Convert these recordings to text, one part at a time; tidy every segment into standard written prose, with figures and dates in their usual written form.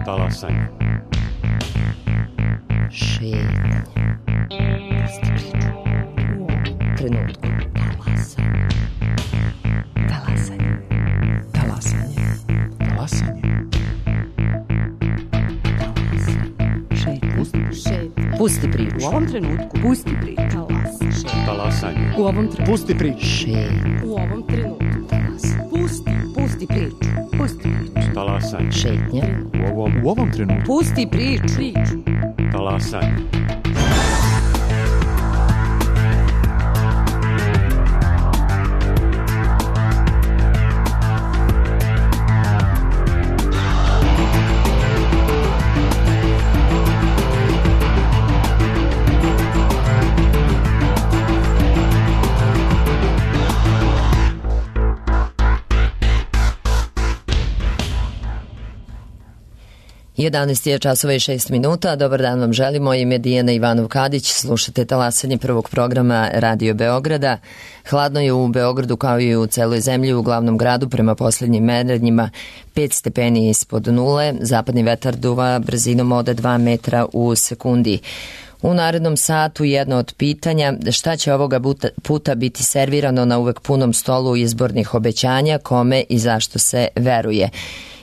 Talasanje. Šetnje. U ovom trenutku. Talasanje. Talasanje. Talasanje. Pusti priču. U ovom trenutku. Pusti priču. Talasanje. U ovom trenutku. Pusti priču. U ovom trenutku. Pusti priču. Pusti priču. Talasanje. Šetnja. U ovom trenutku. Pusti priču. Talasanje. Jedanaest je časova i 6 minuta. Dobar dan vam želimo. Ime Dijana Ivanov-Kadić. Slušate Talasanje prvog programa Radio Beograda. Hladno je u Beogradu kao i u celoj zemlji, u glavnom gradu prema poslednjim merenjima 5 stepeni ispod nule. Zapadni vetar duva brzinom od 2 metra u sekundi. U narednom satu jedno od pitanja: šta će ovoga puta biti servirano na uvek punom stolu izbornih obećanja, kome i zašto se veruje?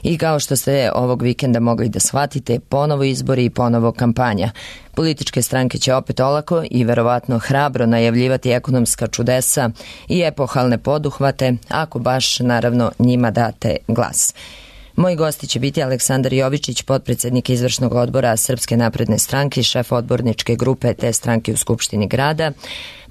I kao što ste ovog vikenda mogli da shvatite, ponovo izbori i ponovo kampanja. Političke stranke će opet olako i verovatno hrabro najavljivati ekonomska čudesa i epohalne poduhvate, ako baš naravno njima date glas. Moji gosti će biti Aleksandar Jovičić, potpredsednik izvršnog odbora Srpske napredne stranke i šef odborničke grupe te stranke u Skupštini grada,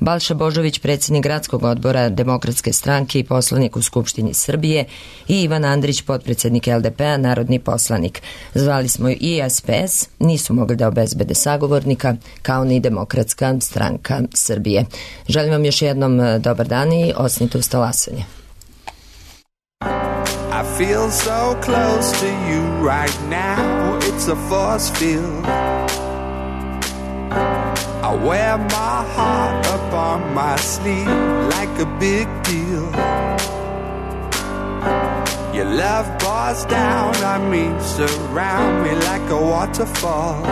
Balša Božović, predsednik gradskog odbora Demokratske stranke i poslanik u Skupštini Srbije, i Ivan Andrić, potpredsednik LDP-a, narodni poslanik. Zvali smo i SPS, nisu mogli da obezbede sagovornika, kao ni Demokratska stranka Srbije. Želim vam još jednom dobar dan i osnite uz Talasanje. I feel so close to you right now, it's a force field. I wear my heart up on my sleeve like a big deal. Your love pours down on me, surround me like a waterfall.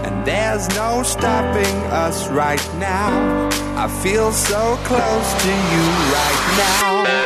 And there's no stopping us right now. I feel so close to you right now.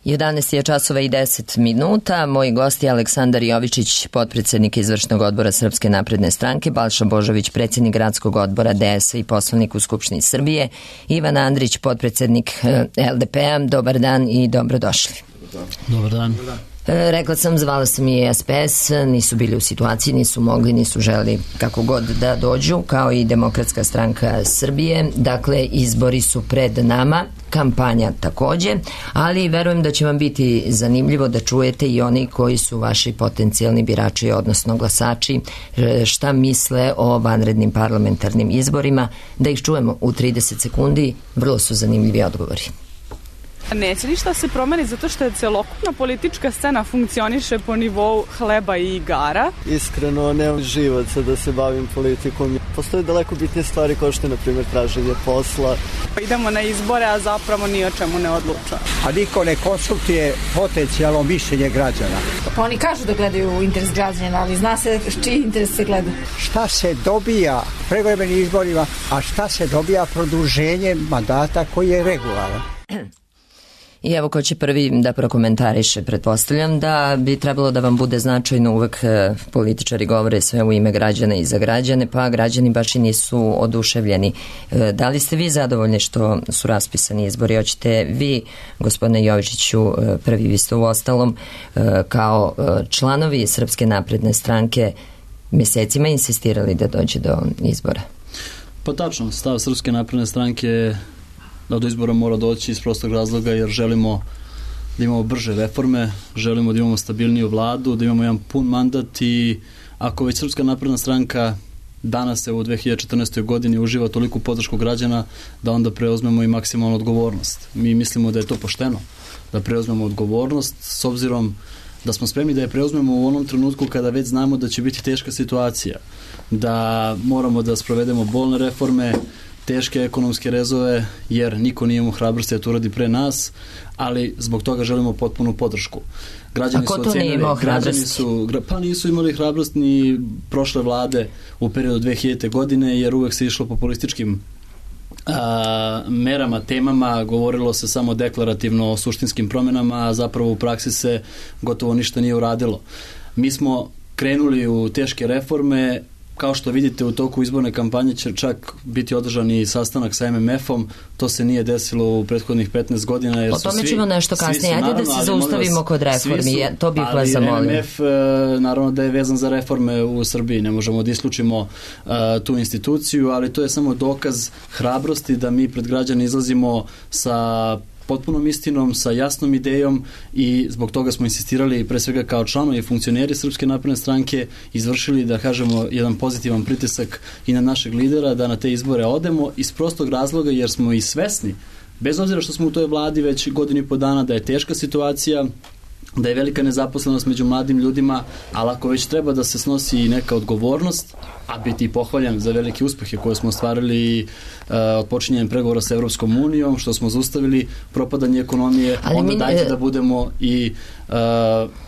11 je časova i 10 minuta. Moji gosti je Aleksandar Jovičić, potpredsednik izvršnog odbora Srpske napredne stranke, Balša Božović, predsjednik gradskog odbora DS-a i poslanik u Skupštini Srbije, Ivan Andrić, potpredsednik LDP-a. Dobar dan i dobrodošli. Dobar dan. Rekla sam, zvala sam i SPS, nisu bili u situaciji, nisu mogli, nisu želi kako god da dođu, kao i Demokratska stranka Srbije. Dakle, izbori su pred nama, kampanja takođe, ali verujem da će vam biti zanimljivo da čujete i oni koji su vaši potencijalni birači, odnosno glasači, šta misle o vanrednim parlamentarnim izborima, da ih čujemo u 30 sekundi, vrlo su zanimljivi odgovori. Neće ništa se promeni zato što je celokupna politička scena funkcioniše po nivou hleba i igara. Iskreno nemam živaca da se bavim politikom. Postoje daleko bitnije stvari kao što je, na primjer, traženje posla. Idemo na izbore, a zapravo ni o čemu ne odluča. A niko ne konsultuje potencijalno mišljenje građana. Pa oni kažu da gledaju interes građana, ali zna se čiji interes se gleda. Šta se dobija pregledanim izborima, a šta se dobija produženjem mandata koji je regularan? I evo ko će prvi da prokomentariše. Pretpostavljam da bi trebalo da vam bude značajno, uvek političari govore sve u ime građana i za građane, pa građani baš i nisu oduševljeni. Da li ste vi zadovoljni što su raspisani izbori? Hoćete vi, gospodine Jovičiću, prvi, vi ste u ostalom kao članovi Srpske napredne stranke mesecima insistirali da dođe do izbora? Pa tačno, stav Srpske napredne stranke da do izbora mora doći iz prostog razloga jer želimo da imamo brže reforme, želimo da imamo stabilniju vladu, da imamo jedan pun mandat i ako već Srpska napredna stranka danas u 2014. godini uživa toliku podršku građana, da onda preuzmemo i maksimalnu odgovornost. Mi mislimo da je to pošteno, da preuzmemo odgovornost s obzirom da smo spremni da je preuzmemo u onom trenutku kada već znamo da će biti teška situacija, da moramo da sprovedemo bolne reforme, teške ekonomske rezove, jer niko nije imao hrabrosti da to uradi pre nas, ali zbog toga želimo potpunu podršku. Građani ko to nije imao hrabrosti? Pa nisu imali hrabrost ni prošle vlade u periodu 2000. godine, jer uvek se išlo populističkim merama, temama, govorilo se samo deklarativno o suštinskim promjenama, a zapravo u praksi se gotovo ništa nije uradilo. Mi smo krenuli u teške reforme. Kao što vidite, u toku izborne kampanje će čak biti održan i sastanak sa MMF-om. To se nije desilo u prethodnih 15 godina. Jer o tome ćemo nešto kasnije. Ajde da se zaustavimo kod reformi. To bih vas zamolio. MMF naravno da je vezan za reforme u Srbiji. Ne možemo da isključimo tu instituciju, ali to je samo dokaz hrabrosti da mi pred građane izlazimo sa potpunom istinom, sa jasnom idejom i zbog toga smo insistirali pre svega kao članovi i funkcioneri Srpske napredne stranke izvršili, da kažemo, jedan pozitivan pritisak i na našeg lidera da na te izbore odemo iz prostog razloga jer smo i svesni, bez obzira što smo u toj vladi već godinu i po dana, da je teška situacija, da je velika nezaposlenost među mladim ljudima, ali ako već treba da se snosi i neka odgovornost, a biti i pohvaljan za velike uspehe koje smo ostvarili od počinjenja pregovora sa Evropskom unijom, što smo zaustavili propadanje ekonomije, onda dajte da budemo i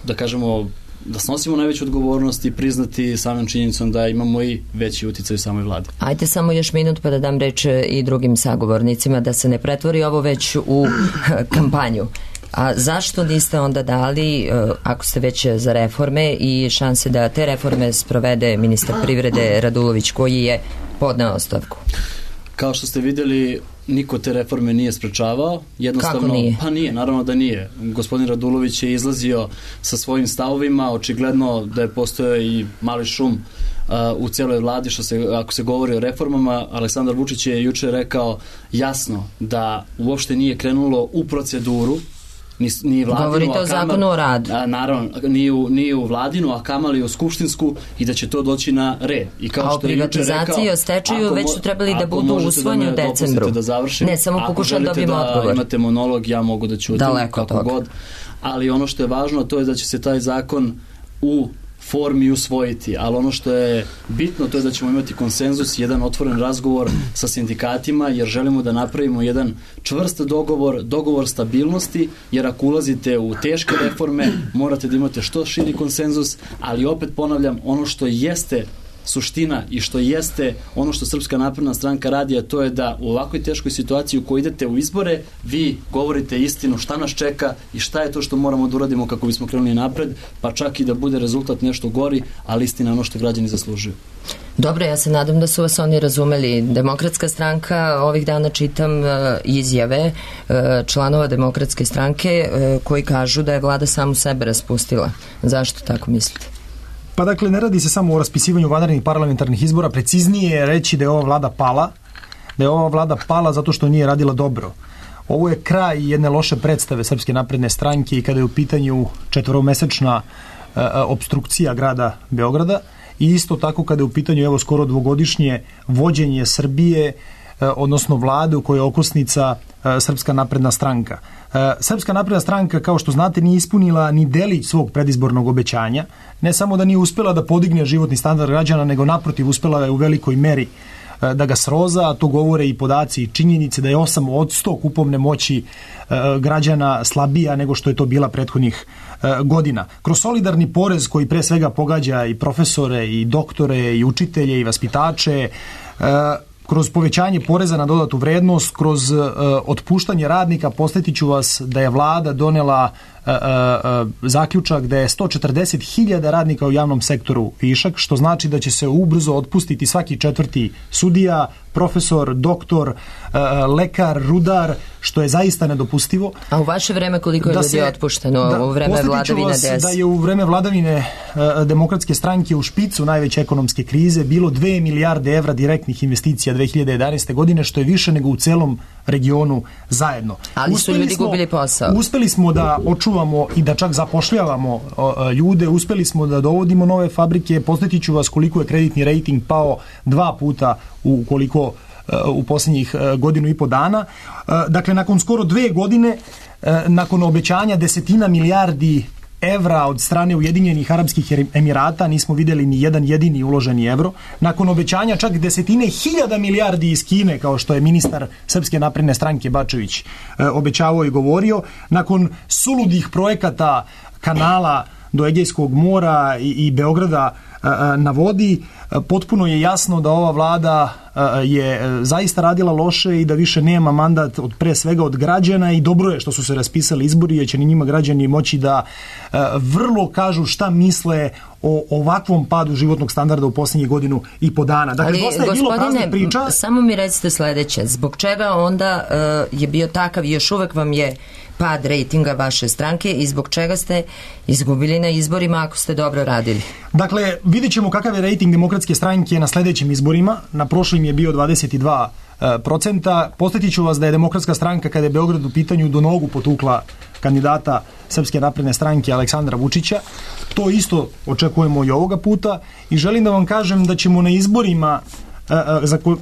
da kažemo da snosimo najveću odgovornost i priznati samim činjenicom da imamo i veći uticaj u samoj vladi. Ajde samo još minut pa da dam reč i drugim sagovornicima, da se ne pretvori ovo već u kampanju. A zašto niste onda dali, ako ste već za reforme, i šanse da te reforme sprovede ministar privrede Radulović, koji je podneo ostavku? Kao što ste vidjeli, niko te reforme nije sprečavao. Jednostavno, kako nije? Pa nije, naravno da nije. Gospodin Radulović je izlazio sa svojim stavovima, očigledno da je postojao i mali šum u cijeloj vladi, ako se govori o reformama. Aleksandar Vučić je juče rekao jasno da uopšte nije krenulo u proceduru, ni vladinu, govorite o zakonu o radu. Naravno, nije u vladinu, a kamali u skupštinsku, i da će to doći na red. I kao a o privatizaciji i o stečaju već su trebali da budu usvojeni u decembru. Ne, samo pokušam da dobijem odgovor. Ako imate monolog, ja mogu da ćutim kako god. Ali ono što je važno, to je da će se taj zakon u formi usvojiti, ali ono što je bitno, to je da ćemo imati konsenzus, jedan otvoren razgovor sa sindikatima, jer želimo da napravimo jedan čvrst dogovor stabilnosti, jer ako ulazite u teške reforme, morate da imate što širi konsenzus, ali opet ponavljam, ono što jeste suština i što jeste ono što Srpska napredna stranka radi, a to je da u ovakvoj teškoj situaciji u kojoj idete u izbore, vi govorite istinu šta nas čeka i šta je to što moramo da uradimo kako bismo krenuli napred, pa čak i da bude rezultat nešto gori, ali istina je ono što građani zaslužuju. Dobro, ja se nadam da su vas oni razumeli. Demokratska stranka, ovih dana čitam izjave članova Demokratske stranke koji kažu da je vlada samu sebe raspustila. Zašto tako mislite? Pa dakle, ne radi se samo o raspisivanju vanrednih parlamentarnih izbora, preciznije je reći da je ova vlada pala, zato što nije radila dobro. Ovo je kraj jedne loše predstave Srpske napredne stranke i kada je u pitanju 4-mesečna opstrukcija grada Beograda i isto tako kada je u pitanju skoro 2-godišnje vođenje Srbije, odnosno vlade u kojoj je okosnica Srpska napredna stranka. Srpska napredna stranka, kao što znate, nije ispunila ni delić svog predizbornog obećanja. Ne samo da nije uspjela da podigne životni standard građana, nego naprotiv uspjela je u velikoj meri da ga sroza, a to govore i podaci i činjenice da je 8% kupovne moći građana slabija nego što je to bila prethodnih godina. Kroz solidarni porez koji pre svega pogađa i profesore i doktore i učitelje i vaspitače, kroz povećanje poreza na dodatu vrednost, kroz otpuštanje radnika, podsjetiću vas da je vlada donela zaključak da je 140.000 radnika u javnom sektoru višak, što znači da će se ubrzo otpustiti svaki 4. sudija, profesor, doktor, lekar, rudar, što je zaista nedopustivo. A u vaše vreme koliko je ljudi otpušteno u vreme vladavine DS? Da je u vreme vladavine Demokratske stranke u špicu najveće ekonomske krize bilo 2 milijarde evra direktnih investicija 2011. godine, što je više nego u celom regionu zajedno. Ali su ljudi gubili posao. Uspeli smo da očuvamo i da čak zapošljavamo ljude, uspeli smo da dovodimo nove fabrike. Podsjetiću vas koliko je kreditni rating pao 2 puta u posljednjih 1,5 dana. Dakle, nakon skoro 2 godine, nakon obećanja 10 milijardi evra od strane Ujedinjenih Arapskih Emirata, nismo vidjeli ni jedan jedini uloženi evro. Nakon obećanja čak 10.000 milijardi iz Kine, kao što je ministar Srpske napredne stranke Bačević obećavao i govorio, nakon suludih projekata kanala do Egejskog mora i Beograda na vodi, potpuno je jasno da ova vlada je zaista radila loše i da više nema mandat pre svega od građana i dobro je što su se raspisali izbori, jer će njima građani moći da vrlo kažu šta misle o ovakvom padu životnog standarda u posljednjih 1,5 dana. Dakle, dosta je bilo praznih priča. Samo mi recite sledeće, zbog čega onda je bio takav i još uvek vam je pad rejtinga vaše stranke i zbog čega ste izgubili na izborima ako ste dobro radili? Dakle, vidjet ćemo kakav je rejting Demokratske stranke na sljedećim izborima. Na prošlim je bio 22%. Podsjetit ću vas da je Demokratska stranka, kada je Beograd u pitanju, do nogu potukla kandidata Srpske napredne stranke Aleksandra Vučića. To isto očekujemo i ovoga puta i želim da vam kažem da ćemo na izborima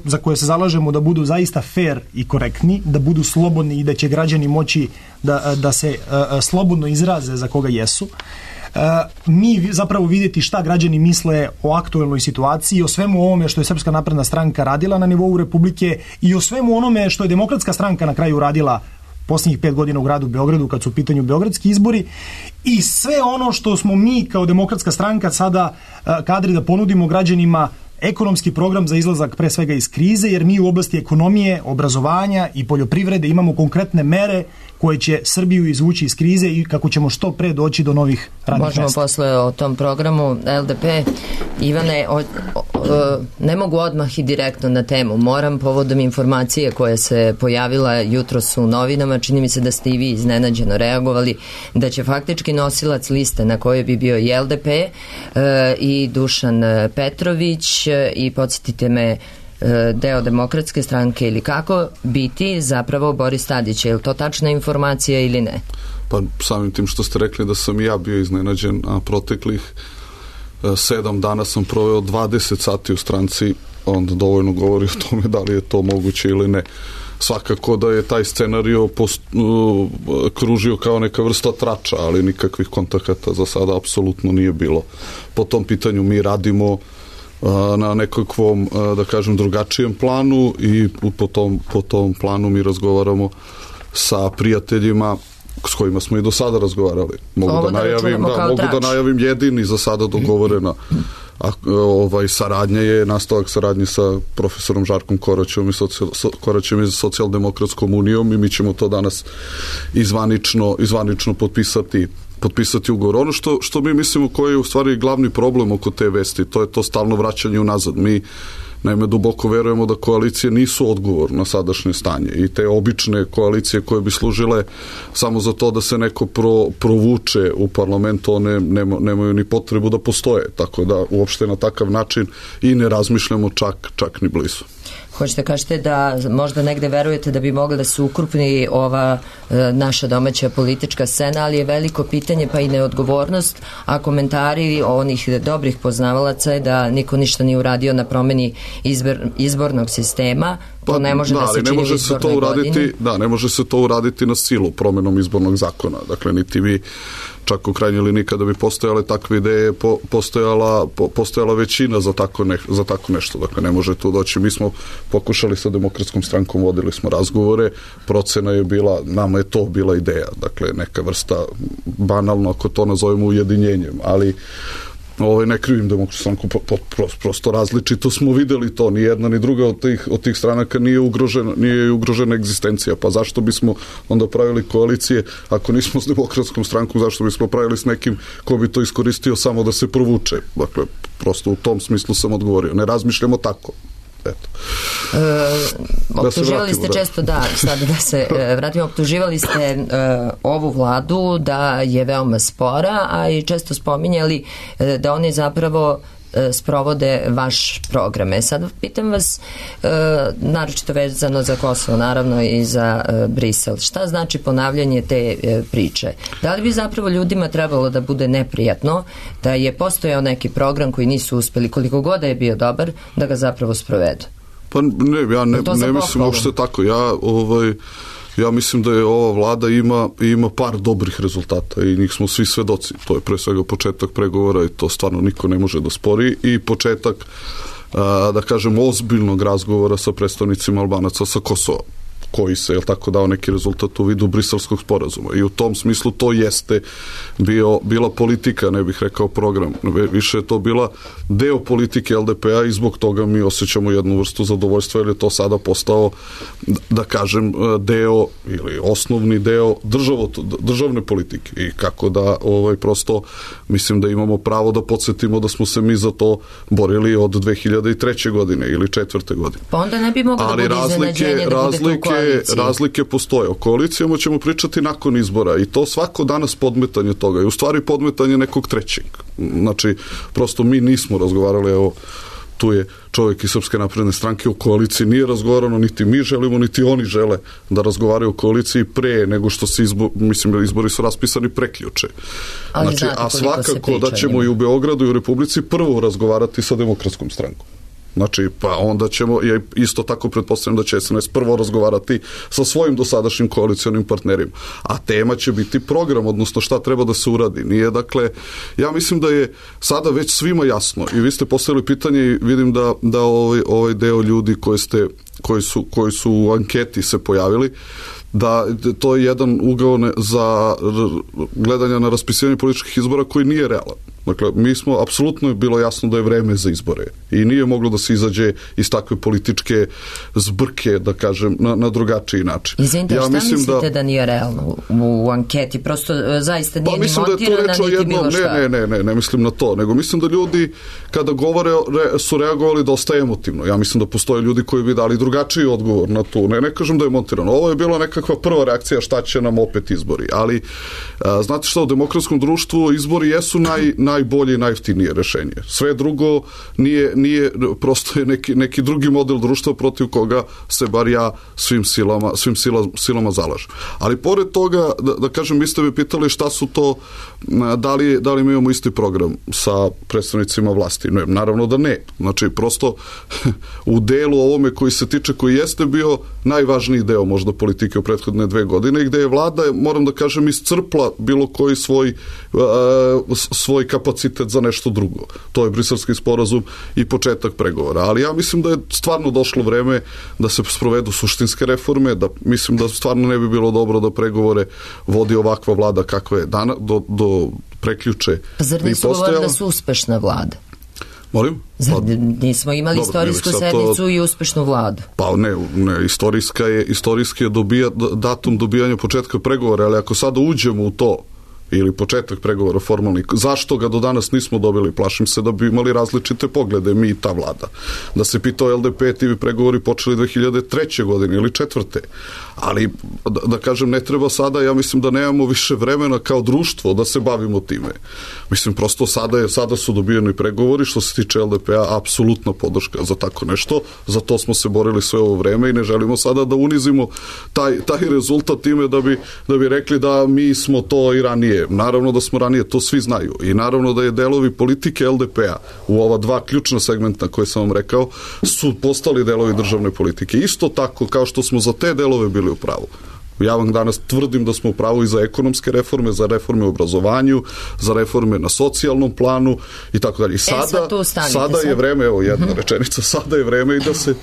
za koje se zalažemo da budu zaista fair i korektni, da budu slobodni i da će građani moći da se slobodno izraze za koga jesu. Mi zapravo vidjeti šta građani misle o aktuelnoj situaciji, o svemu ovome što je Srpska napredna stranka radila na nivou Republike i o svemu onome što je Demokratska stranka na kraju radila posljednjih 5 godina u gradu Beogradu kad su u pitanju beogradski izbori i sve ono što smo mi kao Demokratska stranka sada kadri da ponudimo građanima, ekonomski program za izlazak pre svega iz krize, jer mi u oblasti ekonomije, obrazovanja i poljoprivrede imamo konkretne mere koje će Srbiju izvući iz krize i kako ćemo što pre doći do novih radnih mesta. Možemo posle o tom programu. LDP, Ivane, ne mogu odmah i direktno na temu. Moram povodom informacije koja se pojavila jutros u novinama, čini mi se da ste i vi iznenađeno reagovali, da će faktički nosilac liste na kojoj bi bio i LDP i Dušan Petrović i podsjetite me deo Demokratske stranke ili kako biti zapravo Boris Tadić. Je li to tačna informacija ili ne? Pa samim tim što ste rekli da sam i ja bio iznenađen, a proteklih 7 dana sam proveo 20 sati u stranci, onda dovoljno govori o tome da li je to moguće ili ne. Svakako da je taj scenario kružio kao neka vrsta trača, ali nikakvih kontakata za sada apsolutno nije bilo. Po tom pitanju mi radimo na nekakvom, da kažem, drugačijem planu i po tom planu mi razgovaramo sa prijateljima s kojima smo i do sada razgovarali. Mogu da najavim jedini za sada dogovorena a saradnja je nastavak saradnje sa profesorom Žarkom Koraćem iz Socijaldemokratskom unijom i mi ćemo to danas izvanično potpisati ugovor. Ono što mi mislimo koji je u stvari glavni problem oko te vesti, to je to stalno vraćanje unazad. Mi naime duboko verujemo da koalicije nisu odgovor na sadašnje stanje i te obične koalicije koje bi služile samo za to da se neko provuče u parlamentu, one nemaju ni potrebu da postoje, tako da uopšte na takav način i ne razmišljamo čak ni blizu. Hoćete kažete da možda negde verujete da bi mogla da se ukrupni ova naša domaća politička scena, ali je veliko pitanje pa i neodgovornost, a komentari onih dobrih poznavalaca je da niko ništa nije uradio na promeni izbornog sistema. To ne može da se čini u izbornoj godini. Da, ne može se to uraditi na silu promenom izbornog zakona. Dakle, niti vi čak u krajnjoj liniji kada bi postojale takve ideje, postojala većina za tako nešto. Dakle, ne može tu doći. Mi smo pokušali sa Demokratskom strankom, vodili smo razgovore, procena je bila, nama je to bila ideja. Dakle, neka vrsta, banalno ako to nazovemo ujedinjenjem, ali ne krivim Demokratsku stranku, prosto različito smo videli to, ni jedna ni druga od tih stranaka nije ugrožena egzistencija, pa zašto bismo onda pravili koalicije ako nismo s Demokratskom strankom, zašto bismo pravili s nekim ko bi to iskoristio samo da se provuče. Dakle, prosto u tom smislu sam odgovorio, ne razmišljamo tako. Optuživali ste često, sada da se vratimo, optuživali ste ovu vladu da je veoma spora, a i često spominjali da oni zapravo sprovode vaš programe. Sad pitam vas, naročito vezano za Kosovo, naravno i za Brisel, šta znači ponavljanje te priče? Da li bi zapravo ljudima trebalo da bude neprijatno da je postojao neki program koji nisu uspeli, koliko god da je bio dobar, da ga zapravo sprovedu? Pa ne, ja ne mislim uopšte tako. Ja mislim da je ova vlada ima par dobrih rezultata i njih smo svi svedoci. To je pre svega početak pregovora i to stvarno niko ne može da spori i početak, da kažem, ozbiljnog razgovora sa predstavnicima Albanaca sa Kosova, koji se, tako, dao neki rezultat u vidu briselskog sporazuma. I u tom smislu to jeste bila politika, ne bih rekao program. Više je to bila deo politike LDP-a i zbog toga mi osjećamo jednu vrstu zadovoljstva, jer je to sada postao, da kažem, deo ili osnovni deo državne politike. I kako da prosto mislim da imamo pravo da podsjetimo da smo se mi za to borili od 2003. godine ili 2004. godine. Pa onda ne bi moglo da bude iznenađenje da budete u koaliciji. Razlike postoje. O koalicijama ćemo pričati nakon izbora i to svako danas podmetanje toga je u stvari podmetanje nekog trećeg. Znači, prosto mi nismo razgovarali, evo, tu je čovjek iz Srpske napredne stranke, o koaliciji nije razgovarano, niti mi želimo, niti oni žele da razgovaraju o koaliciji pre nego što se izbori su raspisani prekjuče. Znači, a svakako da ćemo i u Beogradu i u Republici prvo razgovarati sa Demokratskom strankom. Znači, pa onda ćemo, ja isto tako pretpostavljam da će SNS prvo razgovarati sa svojim dosadašnjim koalicionim partnerima. A tema će biti program, odnosno šta treba da se uradi. Nije, dakle, ja mislim da je sada već svima jasno i vi ste postavili pitanje i vidim da ovaj deo ljudi koji su u anketi se pojavili, da to je jedan ugao za gledanja na raspisivanje političkih izbora koji nije realan. Dakle, mi smo, apsolutno je bilo jasno da je vreme za izbore i nije moglo da se izađe iz takve političke zbrke, da kažem, na drugačiji način. Izvinite, šta mislite da nije realno u anketi? Prosto zaista nije ni montirana, niti bilo šta. Ne mislim na to, nego mislim da ljudi kada govore su reagovali dosta emotivno. Ja mislim da postoje ljudi koji bi dali drugačiji odgovor na tu. Ne kažem da je montirano. Ovo je bila nekakva prva reakcija šta će nam opet izbori. Ali, znate šta, u demokratskom društvu izbori jesu najbolje i najjeftinije rešenje. Sve drugo nije prosto je neki drugi model društva protiv koga se bar ja svim silama zalažem. Ali pored toga, da kažem, vi ste me pitali šta su to, da li mi imamo isti program sa predstavnicima vlasti. Ne, naravno da ne. Znači, prosto u delu ovome koji se tiče, koji jeste bio najvažniji deo možda politike u prethodne 2 godine i gde je vlada, moram da kažem, iscrpla bilo koji svoj kapacitet za nešto drugo. To je Briselski sporazum i početak pregovora. Ali ja mislim da je stvarno došlo vreme da se sprovedu suštinske reforme, da mislim da stvarno ne bi bilo dobro da pregovore vodi ovakva vlada kakva je do prekjuče. Zar nisu govorili da su uspešna vlada? Molim? Nismo imali istorijsku sednicu i uspešnu vladu. Pa ne, istorijski je datum dobijanja početka pregovora, ali ako sada uđemo u to, ili početak pregovora formalnih, zašto ga do danas nismo dobili? Plašim se da bi imali različite poglede, mi i ta vlada. Da se pitao LDP, ti bi pregovori počeli 2003. godine ili 2004. Ali, da kažem, ne treba sada, ja mislim da nemamo više vremena kao društvo da se bavimo time. Mislim, prosto sada su dobijeni pregovori, što se tiče LDP-a, apsolutna podrška za tako nešto, za to smo se borili sve ovo vreme i ne želimo sada da unizimo taj rezultat time da bi rekli da mi smo to i ranije. Naravno da smo ranije, to svi znaju. I naravno da je delovi politike LDP-a u ova dva ključna segmenta koje sam vam rekao su postali delovi državne politike. Isto tako kao što smo za te delove bili u pravu. Ja vam danas tvrdim da smo u pravu i za ekonomske reforme, za reforme u obrazovanju, za reforme na socijalnom planu i tako dalje. I sada je vreme, evo jedna rečenica, sada je vreme i da se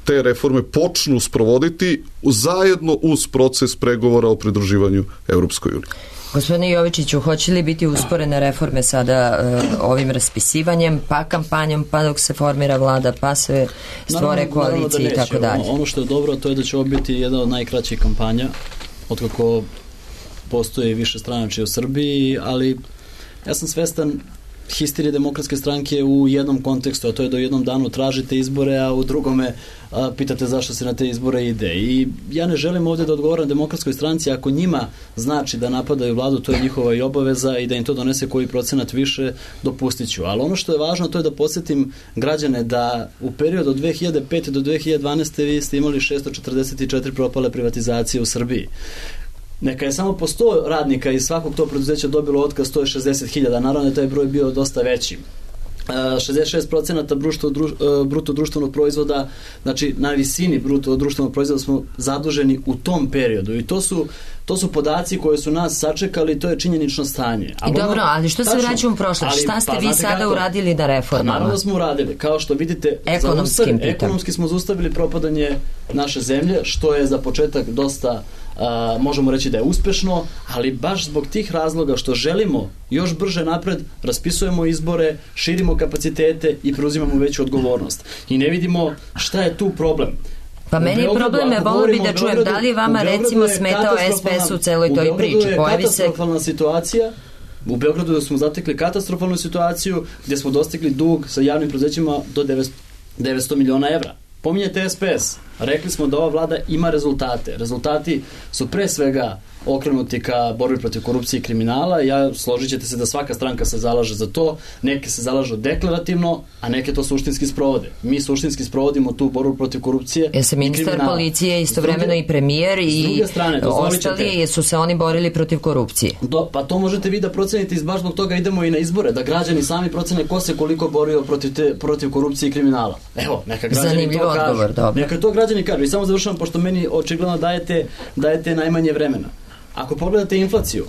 te reforme počnu sprovoditi zajedno uz proces pregovora o pridruživanju Europskoj uniji. Gospodine Jovičiću, hoće li biti usporene reforme sada ovim raspisivanjem, pa kampanjom, pa dok se formira vlada, pa se stvore koalicije i tako dalje? Ono što je dobro, to je da će ovo biti jedna od najkraćih kampanja, otkako postoji više stranačije u Srbiji, ali ja sam svestan histerije Demokratske stranke u jednom kontekstu, a to je da u jednom danu tražite izbore, a u drugome pitate zašto se na te izbore ide. I ja ne želim ovdje da odgovoram Demokratskoj stranci, ako njima znači da napadaju vladu, to je njihova i obaveza i da im to donese koji procenat više, dopustit ću. Ali ono što je važno, to je da podsjetim građane da u periodu od 2005. do 2012. vi ste imali 644 propale privatizacije u Srbiji. Neka je samo po 100 radnika iz svakog tog preduzeća dobilo otkaz, to je 60.000, naravno je taj broj bio dosta veći. 66% bruto društvenog proizvoda, znači na visini bruto društvenog proizvoda smo zaduženi u tom periodu i to su podaci koje su nas sačekali, to je činjenično stanje. I dobro, ali što se vraćamo u prošlost? Šta ste vi sada uradili na reformama? Naravno da smo uradili, kao što vidite, ekonomski smo zaustavili propadanje naše zemlje, što je za početak dosta možemo reći da je uspešno, ali baš zbog tih razloga što želimo još brže napred, raspisujemo izbore, širimo kapacitete i preuzimamo veću odgovornost. I ne vidimo šta je tu problem. Pa meni je problem, volio bi da čujem da li je vama recimo smetao SPS u celoj toj priči. U Beogradu je katastrofalna situacija. U Beogradu smo zatekli katastrofalnu situaciju gdje smo dostigli dug sa javnim preduzećima do 900 miliona evra. Pominjete SPS. Rekli smo da ova vlada ima rezultate. Rezultati su pre svega okrenuti ka borbi protiv korupcije i kriminala. Složit ćete se da svaka stranka se zalaže za to. Neke se zalažu deklarativno, a neke to suštinski sprovode. Mi suštinski sprovodimo tu borbu protiv korupcije i kriminala. Se ministar policije istovremeno i premijer i ostali su se oni borili protiv korupcije. Pa to možete vi da procenite i baš zbog toga idemo i na izbore, da građani sami procene ko se koliko borio protiv korupcije i kriminala. Evo, neka građani to kažu. Neka to građani kažu. I samo završavam, pošto meni očigledno dajete najmanje vremena. Ako pogledate inflaciju,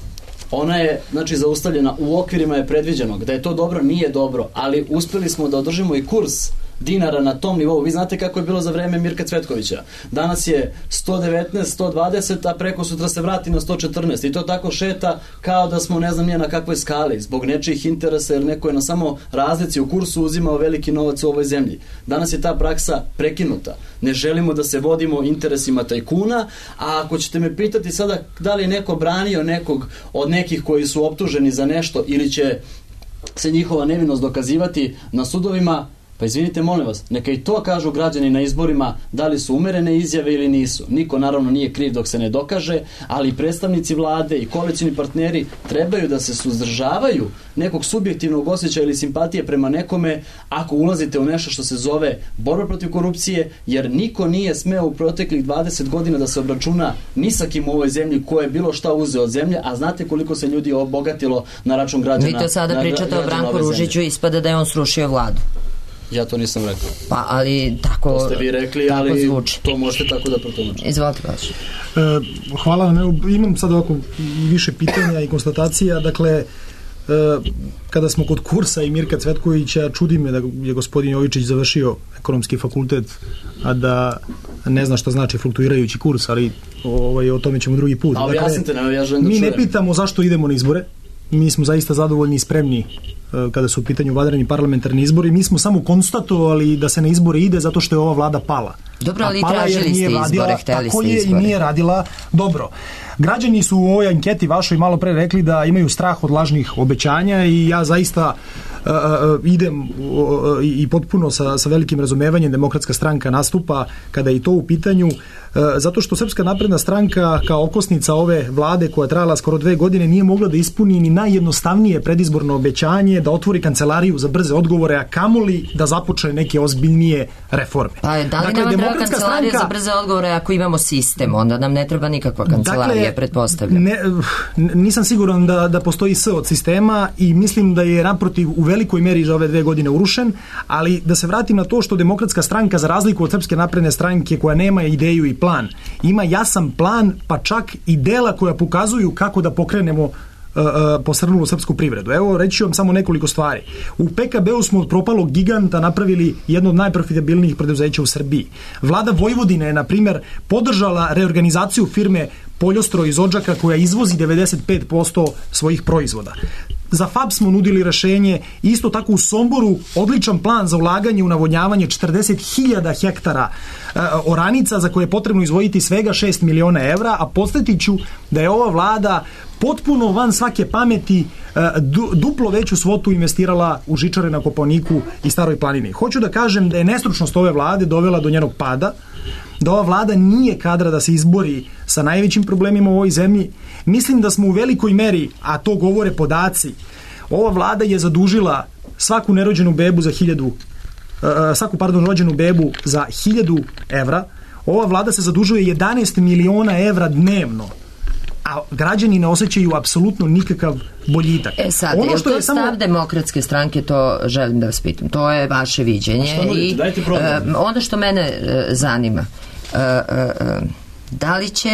ona je, znači, zaustavljena, u okvirima je predviđenog. Da je to dobro, nije dobro, ali uspjeli smo da održimo i kurs dinara na tom nivou. Vi znate kako je bilo za vreme Mirka Cvetkovića. Danas je 119, 120, a preko sutra se vrati na 114. I to tako šeta kao da smo ne znam nije na kakvoj skali, zbog nečijih interesa, jer neko je na samo razlici u kursu uzimao veliki novac u ovoj zemlji. Danas je ta praksa prekinuta. Ne želimo da se vodimo interesima tajkuna, a ako ćete me pitati sada da li je neko branio nekog od nekih koji su optuženi za nešto ili će se njihova nevinost dokazivati na sudovima, pa izvinite, molim vas, neka i to kažu građani na izborima, da li su umerene izjave ili nisu. Niko naravno nije kriv dok se ne dokaže, ali predstavnici vlade i koalicioni partneri trebaju da se suzdržavaju nekog subjektivnog osjećaja ili simpatije prema nekome ako ulazite u nešto što se zove borba protiv korupcije, jer niko nije smeo u proteklih 20 godina da se obračuna ni sa kim u ovoj zemlji ko je bilo šta uzeo od zemlje, a znate koliko se ljudi obogatilo na račun građana. Vi to sada pričate o Branku Ružiću, ispada da je on srušio vladu. Ja to nisam rekao. Pa, ali tako to ste vi rekli, ali zvuči. To možete tako da protumačite. Izvolite, Baš. Hvala vam. Imam sad ovako više pitanja i konstatacija. Dakle, kada smo kod kursa i Mirka Cvetkovića, čudi me da je gospodin Jovičić završio ekonomski fakultet, a da ne zna šta znači fluktuirajući kurs, ali o tome ćemo drugi put. A objasnite, ja želim da mi čujem. Ne pitamo zašto idemo na izbore. Mi smo zaista zadovoljni i spremni kada su u pitanju vanredni parlamentarni izbori. Mi smo samo konstatovali da se na izbore ide zato što je ova vlada pala. Dobro, ali tražili ste izbore, hteli ste izbore. I nije radila dobro. Građani su u ovoj anketi vašoj malo pre rekli da imaju strah od lažnih obećanja i ja zaista idem i potpuno sa velikim razumevanjem Demokratska stranka nastupa kada je to u pitanju, zato što Srpska napredna stranka kao okosnica ove vlade koja je trajala skoro 2 godine nije mogla da ispuni ni najjednostavnije predizborno obećanje da otvori kancelariju za brze odgovore, a kamoli da započne neke ozbiljnije reforme. Pa da li nama treba kancelarija za brze odgovore ako imamo sistem? Onda nam ne treba nikakva kancelarija, pretpostavljam. Nisam siguran da postoji S od sistema i mislim da je naprotiv u velikoj meri za ove 2 godine urušen, ali da se vratim na to što Demokratska stranka, za razliku od Srpske napredne stranke koja nema ideju i plan, ima jasan plan, pa čak i dela koja pokazuju kako da pokrenemo posrnulu srpsku privredu. Evo, reći ću vam samo nekoliko stvari. U PKB-u smo od propalog giganta napravili jedno od najprofitabilnijih preduzeća u Srbiji. Vlada Vojvodine je, na primjer, podržala reorganizaciju firme Poljostroj iz Odžaka koja izvozi 95% svojih proizvoda. Za FAP smo nudili rešenje, isto tako u Somboru odličan plan za ulaganje u navodnjavanje 40.000 hektara oranica za koje je potrebno izdvojiti svega 6 miliona evra, a podsjetit ću da je ova vlada potpuno van svake pameti duplo veću svotu investirala u žičare na Kopaoniku i Staroj planini. Hoću da kažem da je nestručnost ove vlade dovela do njenog pada, da ova vlada nije kadra da se izbori sa najvećim problemima u ovoj zemlji. Mislim da smo u velikoj meri, a to govore podaci, ova vlada je zadužila svaku nerođenu bebu za rođenu bebu za 1.000 evra. Ova vlada se zadužuje 11 miliona evra dnevno, a građani ne osjećaju apsolutno nikakav boljitak. Sad, ono što je stav Demokratske stranke, to želim da vas pitam. To je vaše viđenje. I onda što mene zanima, da li će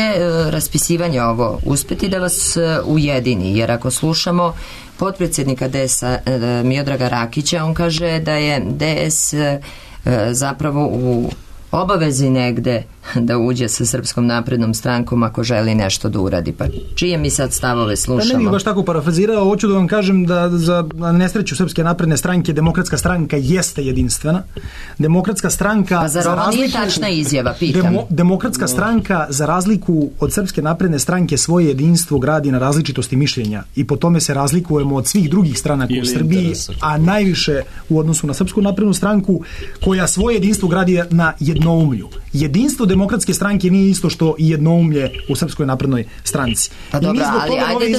raspisivanje ovo uspeti da vas ujedini? Jer ako slušamo potpredsjednika DS-a Miodraga Rakića, on kaže da je DS zapravo u obavezi negde da uđe sa Srpskom naprednom strankom ako želi nešto da uradi. Pa čije mi sad stavove slušamo? Pa ne bih baš tako parafrazirao, hoću da vam kažem da za nesreću Srpske napredne stranke Demokratska stranka jeste jedinstvena. Demokratska stranka... Pa zar ovo nije tačna izjava, pitam? Demokratska stranka, za razliku od Srpske napredne stranke, svoje jedinstvo gradi na različitosti mišljenja i po tome se razlikujemo od svih drugih stranaka u Srbiji, a najviše u odnosu na Srpsku naprednu stranku koja svoje jedinstvo gradi na jednoumlju. Jedinstvo Demokratske stranke nije isto što i jednoumlje u Srpskoj naprednoj stranci. Pa dobro, ali ajde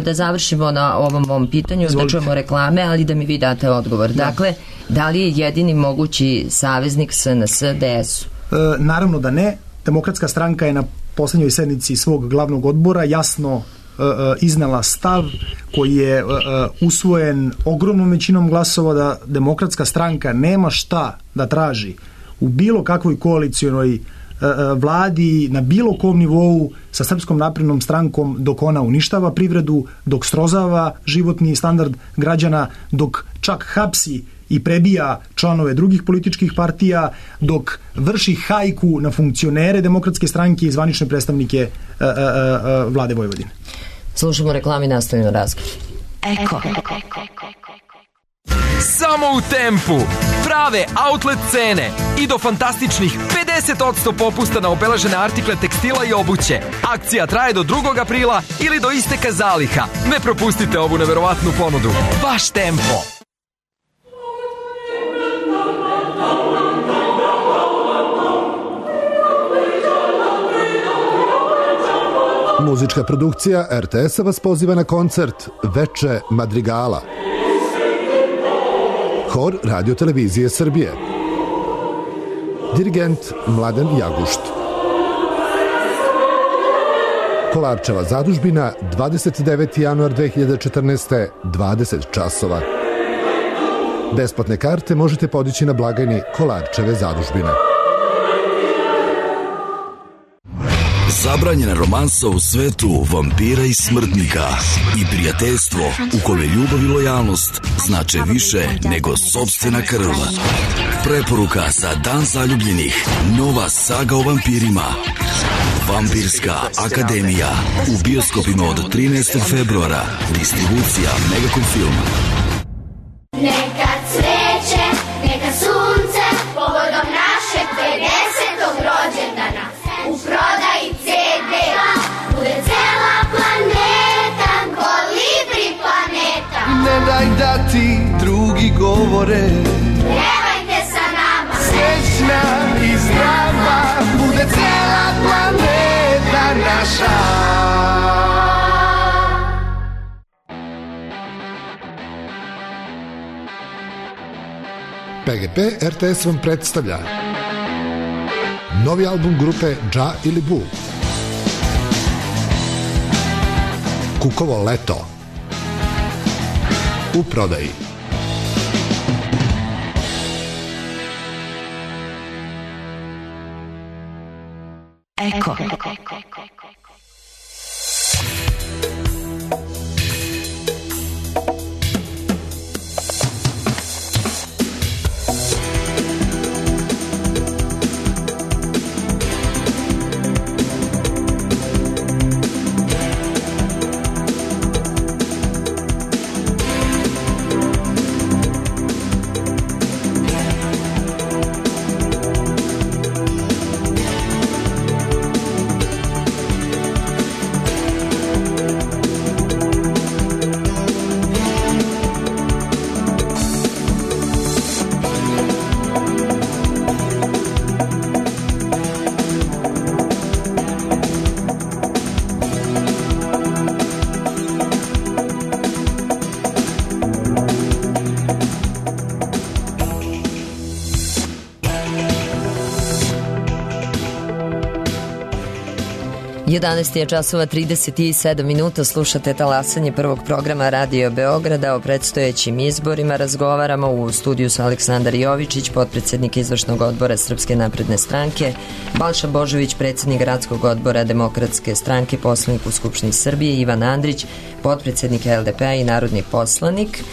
da završimo na ovom pitanju, da čujemo reklame, ali da mi vi date odgovor. Dakle, da li je jedini mogući saveznik SNS DS-u? Naravno da ne. Demokratska stranka je na posljednjoj sednici svog glavnog odbora jasno iznela stav koji je usvojen ogromnom većinom glasova da Demokratska stranka nema šta da traži u bilo kakvoj koalicionoj vladi, na bilo kom nivou sa Srpskom naprednom strankom, dok ona uništava privredu, dok srozava životni standard građana, dok čak hapsi i prebija članove drugih političkih partija, dok vrši hajku na funkcionere Demokratske stranke i zvanične predstavnike vlade Vojvodine. Slušamo reklami, nastavimo razgovor. Eko. Samo u Tempu. Prave outlet cene i do fantastičnih 50% popusta na obeležene artikle tekstila i obuće. Akcija traje do 2. aprila ili do isteka zaliha. Ne propustite ovu neverovatnu ponudu. Baš Tempo. Muzička produkcija RTS-a vas poziva na koncert Veče Madrigala. Hor Radio televizije Srbije. Dirigent Mladen Jagušt. Kolarčeva zadužbina, 29. januar 2014. 20 časova. Besplatne karte možete podići na blagajni Kolarčeve zadužbine. Zabranjena romansa u svetu vampira i smrtnika i prijateljstvo u kome ljubav i lojalnost znače više nego sopstvena krv. Preporuka za Dan zaljubljenih. Nova saga o vampirima. Vampirska akademija. U bioskopima od 13. februara. Distribucija Megacom Film. da ti drugi govore. Pjevajte sa nama. Srećna i zdrava bude cijela planeta naša. PGP RTS vam predstavlja novi album grupe Dža ili Bu, Kukovo leto, u prodaji. Eko. Jedanaest je časova 37 minuta, slušate talasanje prvog programa Radio Beograda. O predstojećim izborima razgovaramo u studiju su Aleksandar Jovičić, potpredsjednik izvršnog odbora Srpske napredne stranke, Balša Božović, predsjednik gradskog odbora Demokratske stranke, poslanik u Skupštini Srbije, Ivan Andrić, potpredsjednik LDP-a i narodni poslanik.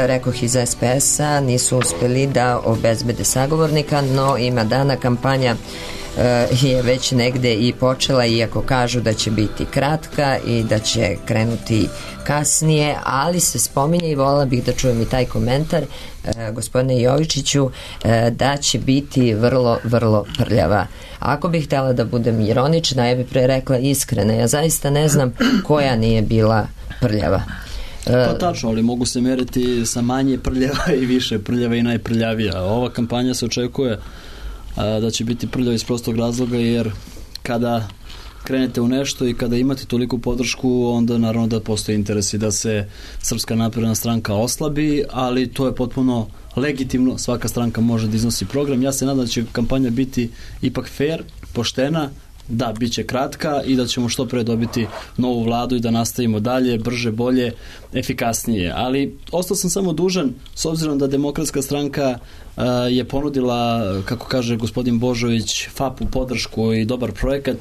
Rekoh iz SPS-a nisu uspjeli da obezbede sagovornika, no ima dana, kampanja je već negde i počela, iako kažu da će biti kratka i da će krenuti kasnije, ali se spominje i volila bih da čujem i taj komentar, gospodine Jovičiću, da će biti vrlo, vrlo prljava. Ako bih htjela da budem ironična, ja bih pre rekla iskrena, ja zaista ne znam koja nije bila prljava. Pa tačno, ali mogu se meriti sa manje prljava i više prljava i najprljavija. Ova kampanja se očekuje da će biti prljava iz prostog razloga, jer kada krenete u nešto i kada imate toliku podršku, onda naravno da postoji interes i da se Srpska napredna stranka oslabi, ali to je potpuno legitimno, svaka stranka može da iznosi program. Ja se nadam da će kampanja biti ipak fair, poštena, da, bit će kratka i da ćemo što pre dobiti novu vladu i da nastavimo dalje, brže, bolje, efikasnije. Ali ostao sam samo dužan, s obzirom da Demokratska stranka je ponudila, kako kaže gospodin Božović, FAP-u podršku i dobar projekat.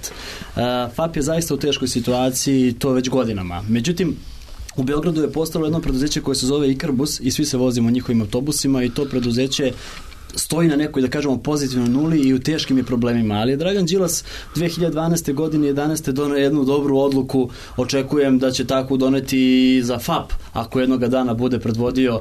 FAP je zaista u teškoj situaciji, to već godinama. Međutim, u Beogradu je postalo jedno preduzeće koje se zove Ikarbus i svi se vozimo njihovim autobusima i to preduzeće stoji na nekoj, da kažemo, pozitivnoj nuli i u teškim je problemima. Ali Dragan Đilas 2012. godine 11. doneo jednu dobru odluku, očekujem da će tako doneti i za FAP, ako jednoga dana bude predvodio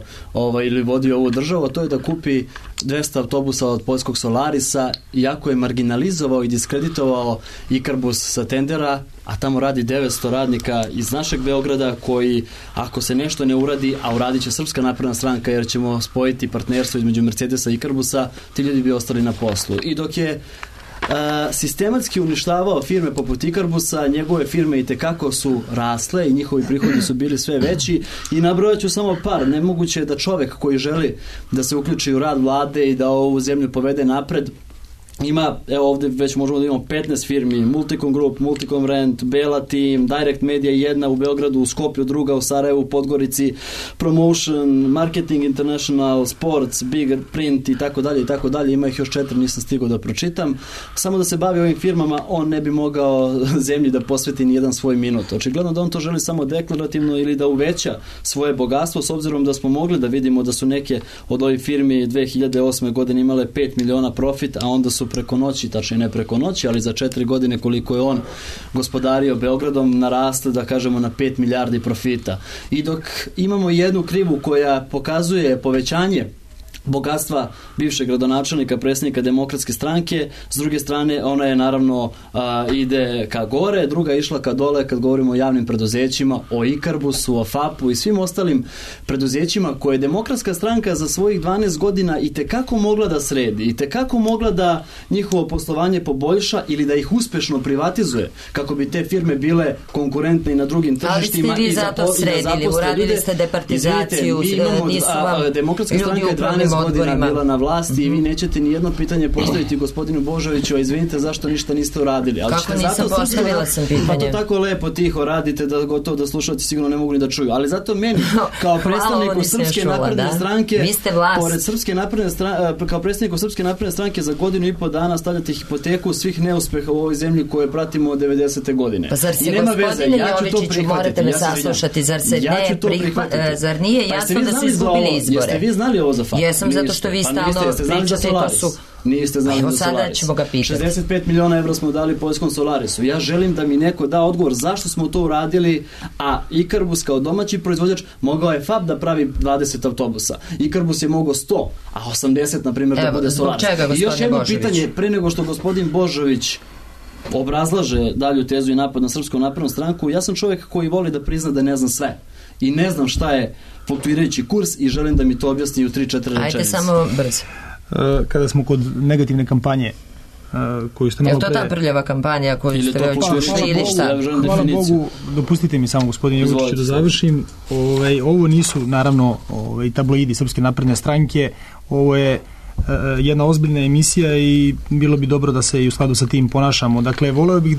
ili vodio ovu državu, a to je da kupi 200 autobusa od poljskog Solarisa, iako je marginalizovao i diskreditovao Ikarbus sa tendera, a tamo radi 900 radnika iz našeg Beograda koji, ako se nešto ne uradi, a uradit će Srpska napredna stranka jer ćemo spojiti partnerstvo između Mercedesa i Ikarbusa, ti ljudi bi ostali na poslu. I dok je sistematski uništavao firme poput Ikarbusa, njegove firme i tekako su rasle i njihovi prihodi su bili sve veći i nabrojat ću samo par. Nemoguće je da čovek koji želi da se uključi u rad vlade i da ovu zemlju povede napred ima, evo ovdje već možemo da imamo 15 firmi, Multicom Group, Multicom Rent, Bela Team, Direct Media jedna u Beogradu, u Skoplju druga, u Sarajevu, u Podgorici, Promotion, Marketing International, Sports, Big Print i tako dalje, ima ih još 4, nisam stigao da pročitam. Samo da se bavi ovim firmama, on ne bi mogao zemlji da posveti ni jedan svoj minut. Očigledno da on to želi samo deklarativno ili da uveća svoje bogatstvo, s obzirom da smo mogli da vidimo da su neke od ovih firmi 2008. godine imale 5 miliona profit, a onda su preko noći, tačnije ne preko noći, ali za 4 godine koliko je on gospodario Beogradom, narasle, da kažemo, na 5 milijardi profita. I dok imamo jednu krivu koja pokazuje povećanje bogatstva bivšeg gradonačelnika, predsjednika Demokratske stranke, s druge strane ona je naravno ide ka gore, druga je išla ka dole kad govorimo o javnim preduzećima, o Ikarbusu, o FAP-u i svim ostalim preduzećima koje je Demokratska stranka za svojih 12 godina i tekako mogla da sredi, i tekako mogla da njihovo poslovanje poboljša ili da ih uspešno privatizuje, kako bi te firme bile konkurentne i na drugim tržištima. Ali ste vi zato sredili, uradili ste departizaciju, nisu vam Demokratska stranka je 12 godina bila na vlasti i vi nećete ni jedno pitanje postaviti gospodinu Božoviću, a izvinite zašto ništa niste uradili. Ali kako nisam postavila sam pitanje? Pa to tako lepo tiho radite da gotovo da slušalci sigurno ne mogu ni da čuju. Ali zato meni kao predstavniku Srpske napredne stranke, vi ste vlast. Pored Srpske napredne stranke, kao predstavniku Srpske napredne stranke za godinu i po dana stavljate hipoteku svih neuspeha u ovoj zemlji koje pratimo od 90. godine. Pa zar se gospodine Jovičiću, morate me saslušati, zar se ne prihvatite? Zar nije jasno da su izgubili izbore? Jeste vi znali ovo za FAP? Jesam, zato što vi stalno pričate, to su... Niste znali evo za sada Solaris. ćemo ga pitati. 65 miliona evra smo dali poljskom Solarisu. Ja želim da mi neko da odgovor zašto smo to uradili, a Ikarbus kao domaći proizvođač mogao je FAP da pravi 20 autobusa. Ikarbus je mogao 100, a 80 na primjer da bude Solaris. I još jedno pitanje, pre nego što gospodin Božović obrazlaže dalju tezu i napad na Srpsku naprednu stranku, ja sam čovjek koji voli da prizna da ne znam sve. I ne znam šta je fluktuirajući kurs i želim da mi to objasni u 3-4 rečenice. Ajde samo brzo. Kada smo kod negativne kampanje koju ste malo pre... Je to ta prljava kampanja koju ste već ušli ili šta? Hvala Bogu, dopustite mi samo gospodin Jovičić da završim. Ovo nisu naravno tabloidi Srpske napredne stranke, ovo je jedna ozbiljna emisija i bilo bi dobro da se i u skladu sa tim ponašamo. Dakle, voleo bih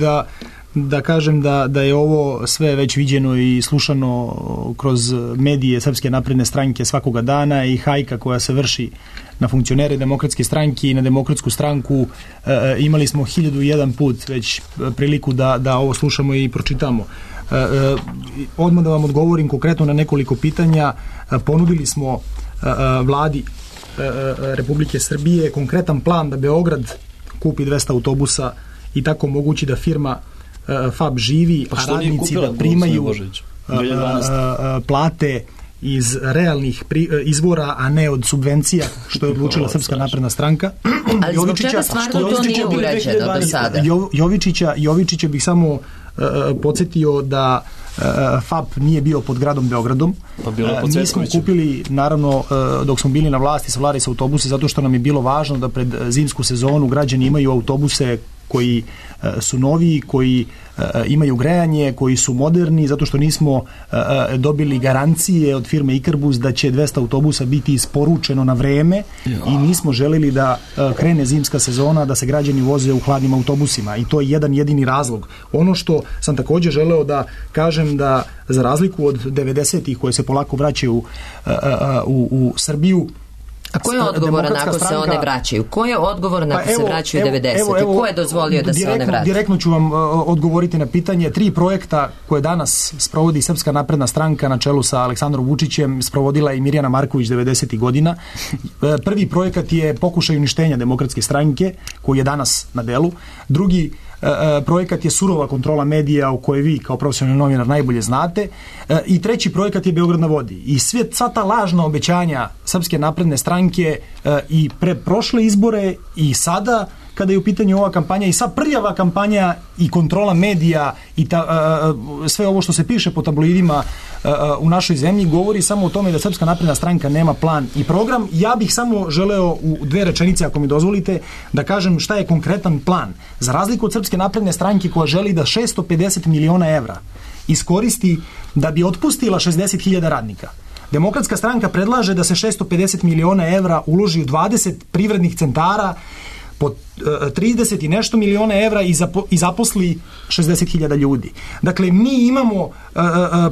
da kažem da je ovo sve već viđeno i slušano kroz medije Srpske napredne stranke svakoga dana i hajka koja se vrši na funkcionere Demokratske stranke i na Demokratsku stranku. Imali smo 1001 put već priliku da ovo slušamo i pročitamo. Odmah da vam odgovorim konkretno na nekoliko pitanja. Ponudili smo vladi Republike Srbije konkretan plan da Beograd kupi 200 autobusa i tako omogući da firma FAP živi, a radnici da primaju plate iz realnih izvora, a ne od subvencija, što je odlučila Srpska napredna stranka. Ali zbog čega stvarno to nije urađeno do sada? Jovičića bih samo podsjetio da FAP nije bio pod gradom Beogradom. Mi smo kupili, naravno, dok smo bili na vlasti, Solaris autobuse, zato što nam je bilo važno da pred zimsku sezonu građani imaju autobuse koji su novi, koji imaju grejanje, koji su moderni, zato što nismo dobili garancije od firme Ikarbus da će 200 autobusa biti isporučeno na vreme i nismo želeli da krene zimska sezona, da se građani voze u hladnim autobusima i to je jedan jedini razlog. Ono što sam također želeo da kažem da za razliku od 90-ih koje se polako vraćaju u Srbiju. A ko je odgovoran ako se one vraćaju? Ko je odgovoran ako se vraćaju 90-te? Ko je dozvolio da se one vraćaju? Direktno ću vam odgovoriti na pitanje. 3 projekta koje danas sprovodi Srpska napredna stranka na čelu sa Aleksandrom Vučićem sprovodila i Mirjana Marković 90-ih godina. Prvi projekat je pokušaj uništenja Demokratske stranke koji je danas na delu. Drugi projekat je surova kontrola medija o kojoj vi kao profesionalni novinar najbolje znate i treći projekat je Beograd na vodi. I sva ta lažna obećanja Srpske napredne stranke i pre prošle izbore i sada kada je u pitanju ova kampanja i sva prljava kampanja i kontrola medija i sve ovo što se piše po tabloidima u našoj zemlji govori samo o tome da Srpska napredna stranka nema plan i program. Ja bih samo želeo u 2 rečenice, ako mi dozvolite, da kažem šta je konkretan plan. Za razliku od Srpske napredne stranke koja želi da 650 miliona evra iskoristi da bi otpustila 60.000 radnika. Demokratska stranka predlaže da se 650 miliona evra uloži u 20 privrednih centara po 30 i nešto miliona evra i zaposli 60.000 ljudi. Dakle, mi imamo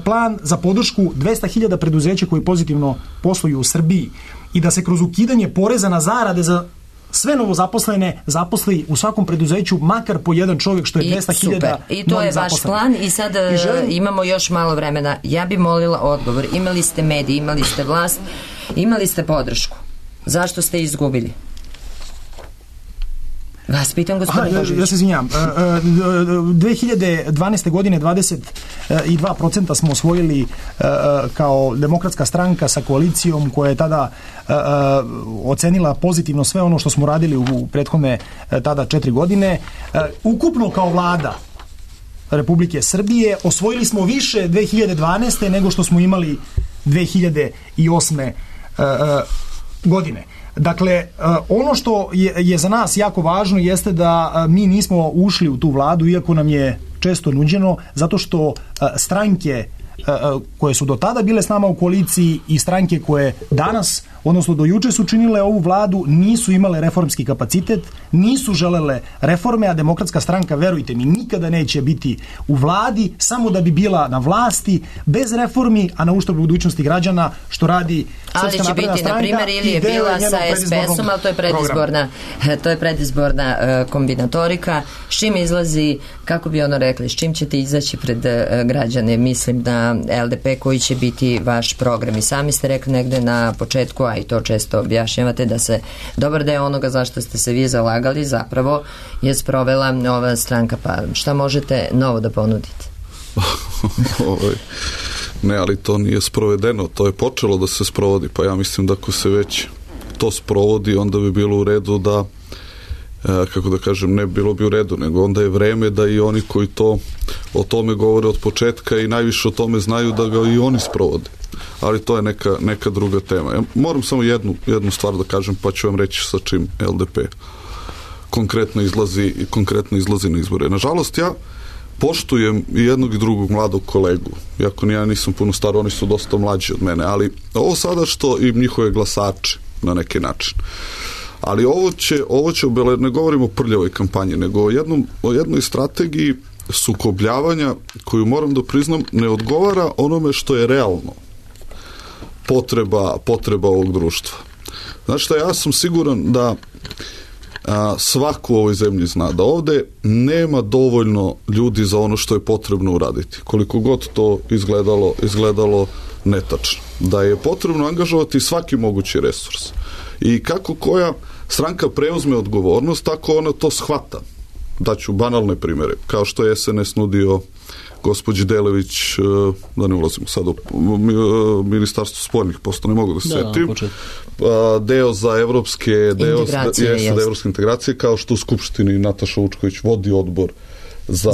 plan za podršku 200.000 preduzeća koji pozitivno posluju u Srbiji i da se kroz ukidanje poreza na zarade za sve novozaposlene zaposli u svakom preduzeću makar po jedan čovjek, što je 200.000. I to je vaš plan i sad imamo još malo vremena. Ja bi molila odgovor. Imali ste medije, imali ste vlast, imali ste podršku. Zašto ste izgubili? Vas pitam, gospodine Božović. Ja se izvinjam. 2012. godine 22% smo osvojili kao demokratska stranka sa koalicijom koja je tada ocenila pozitivno sve ono što smo radili u prethodne tada 4 godine. Ukupno kao vlada Republike Srbije osvojili smo više 2012. nego što smo imali 2008. godine. Dakle, ono što je za nas jako važno jeste da mi nismo ušli u tu vladu, iako nam je često nuđeno, zato što stranke koje su do tada bile s nama u koaliciji i stranke koje danas, odnosno do juče su činile ovu vladu, nisu imale reformski kapacitet, nisu želele reforme, a Demokratska stranka, verujte mi, nikada neće biti u vladi samo da bi bila na vlasti, bez reformi, a na uštrb budućnosti građana, što radi Srpska napredna stranka. Ali će biti, na primjer, ili je bila sa SPS-om, ali to je predizborna kombinatorika. S čim izlazi, kako bi ono rekli, s čim ćete izaći pred građane? Mislim da LDP koji će biti vaš program. I sami ste rekli negde na početku, a i to često objašnjavate, da se dobar deo onoga zašto ste se vi zalagali zapravo je sprovela ova stranka. Pa šta možete novo da ponudite? Ne, ali to nije sprovedeno, to je počelo da se sprovodi, pa ja mislim da ako se već to sprovodi, onda bi bilo u redu da, kako da kažem, ne bilo bi u redu, nego onda je vreme da i oni koji o tome govore od početka i najviše o tome znaju da ga i oni sprovode. Ali to je neka druga tema. Ja moram samo jednu stvar da kažem, pa ću vam reći sa čim LDP konkretno izlazi na izbore. Nažalost, ja poštujem i jednog i drugog mladog kolegu, iako ja nisam puno star, oni su dosta mlađi od mene, ali ovo sada što i njihove glasače na neki način. Ali ovo će ne govorimo o prljavoj kampanji, nego o jednoj strategiji sukobljavanja koju, moram da priznam, ne odgovara onome što je realno potreba ovog društva. Znači šta, ja sam siguran da svako u ovoj zemlji zna da nema dovoljno ljudi za ono što je potrebno uraditi, koliko god to izgledalo netačno. Da je potrebno angažovati svaki mogući resurs. I kako koja stranka preuzme odgovornost, tako ona to shvata. Daću banalne primjere, kao što je SNS nudio gospođi Delević, da ne ulazimo sad u Ministarstvo spoljnih poslova, ne mogu da se setim, deo za evropske integracije, kao što u Skupštini Nataša Vučković vodi odbor za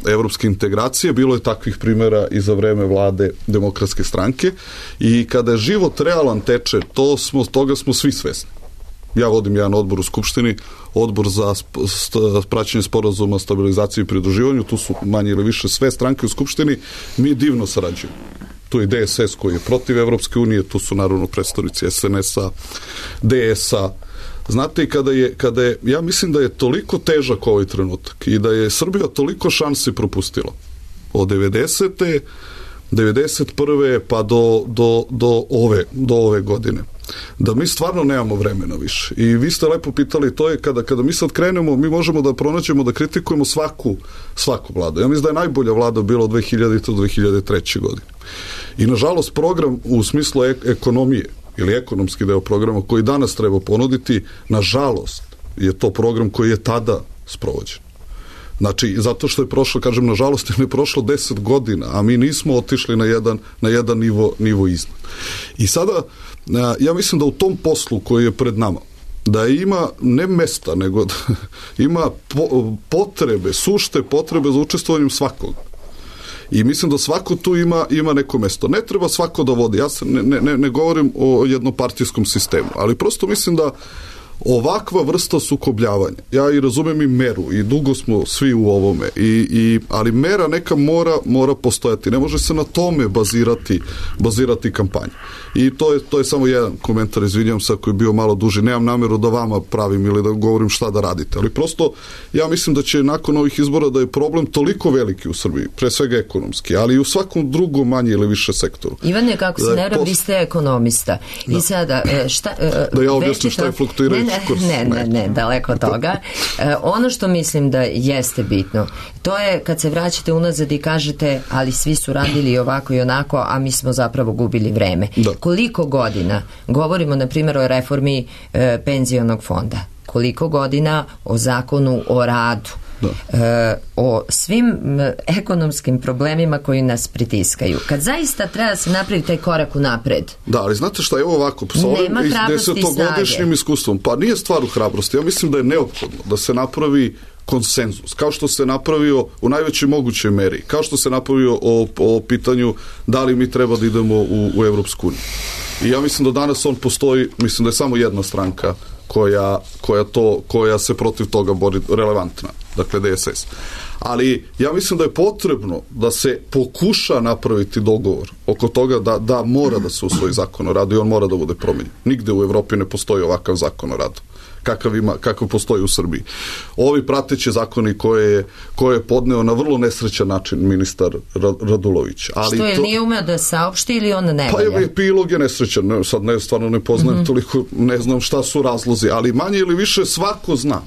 evropske integracije. Bilo je takvih primjera i za vreme vlade Demokratske stranke, i kada je život realan teče, toga smo svi svesni. Ja vodim jedan odbor u Skupštini, odbor za praćenje sporazuma, stabilizaciju i pridruživanju, tu su manje ili više sve stranke u Skupštini, mi divno sarađujemo. Tu je DSS koji je protiv Evropske unije, tu su naravno predstavnici SNS-a, DS-a. Znate, kada je, ja mislim da je toliko težak ovaj trenutak i da je Srbija toliko šansi propustila od 90. 91. pa do ove godine, da mi stvarno nemamo vremena više. I vi ste lepo pitali, to je kada mi sad krenemo, mi možemo da pronađemo, da kritikujemo svaku vladu. Ja mislim da je najbolja vlada bila od 2000. do 2003. godine. I nažalost program u smislu ekonomije ili ekonomski deo programa koji danas treba ponuditi, nažalost je to program koji je tada sprovođen. Znači, zato što je prošlo, kažem, nažalost, je prošlo 10 godina, a mi nismo otišli na jedan nivo iznad. I sada, ja mislim da u tom poslu koji je pred nama, da ima ne mesta, nego da ima potrebe, sušte potrebe za učestvovanjem svakog. I mislim da svako tu ima neko mesto. Ne treba svako da vodi. Ja ne govorim o jednopartijskom sistemu, ali prosto mislim da ovakva vrsta sukobljavanja, ja i razumem i meru i dugo smo svi u ovome, ali mera neka mora postojati, ne može se na tome bazirati kampanja. I to je samo jedan komentar, izvinjam se ako je bio malo duži, nemam nameru da vama pravim ili da govorim šta da radite, ali prosto ja mislim da će nakon ovih izbora da je problem toliko veliki u Srbiji, pre svega ekonomski, ali i u svakom drugom manje ili više sektoru. Ivane, kako se ne vi ste ekonomista. Da. I sada, da ja objasnim šta je fluktuirajući kurs. Ne, daleko od toga. Ono što mislim da jeste bitno, to je kad se vraćate unazad i kažete, ali svi su radili ovako i onako, a mi smo zapravo gubili vreme. Da. Koliko godina, govorimo na primjer o reformi penzionog fonda, koliko godina o zakonu o radu, o svim ekonomskim problemima koji nas pritiskaju. Kad zaista treba se napraviti taj korak u napred. Da, ali znate šta, evo ovako, sa ovim 10-godišnjim iskustvom, pa nije stvar u hrabrosti, ja mislim da je neophodno da se napravi konsenzus, kao što se napravio u najvećoj mogućoj meri, kao što se napravio o pitanju da li mi treba da idemo u Evropsku uniju. I ja mislim da danas on postoji, mislim da je samo jedna stranka koja se protiv toga bori, relevantna, dakle DSS. Ali ja mislim da je potrebno da se pokuša napraviti dogovor oko toga da mora da se usvoji zakon o radu i on mora da bude promenjen. Nigde u Evropi ne postoji ovakav zakon o radu kakav postoji u Srbiji. Ovi prateći zakoni koje je podneo na vrlo nesrećan način ministar Radulović. Ali što je, nije umeo da saopšti ili on ne valja? Pa epilog je nesrećan, sad stvarno ne poznajem toliko, ne znam šta su razlozi, ali manje ili više svako zna.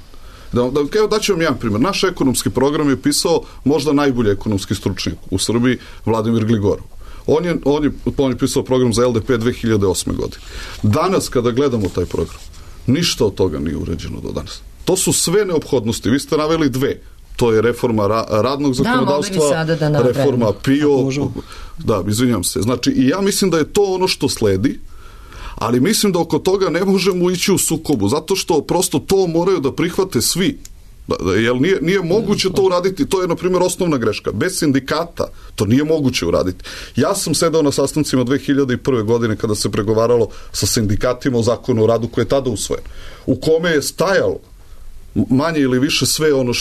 Evo daću vam jedan primjer. Naš ekonomski program je pisao možda najbolji ekonomski stručnjak u Srbiji, Vladimir Gligorov. On je pisao program za LDP 2008. godine. Danas kada gledamo taj program, ništa od toga nije urađeno do danas. To su sve neophodnosti. Vi ste naveli dve. To je reforma radnog zakonodavstva, reforma PIO. Da, izvinjam se. Znači, i ja mislim da je to ono što sledi, ali mislim da oko toga ne možemo ići u sukobu, zato što prosto to moraju da prihvate svi. Jer nije moguće to uraditi, to je na primjer osnovna greška. Bez sindikata to nije moguće uraditi. Ja sam sedao na sastancima 2001. godine kada se pregovaralo sa sindikatima o zakonu o radu koji je tada usvojen, u kome je stajalo manje ili više sve ono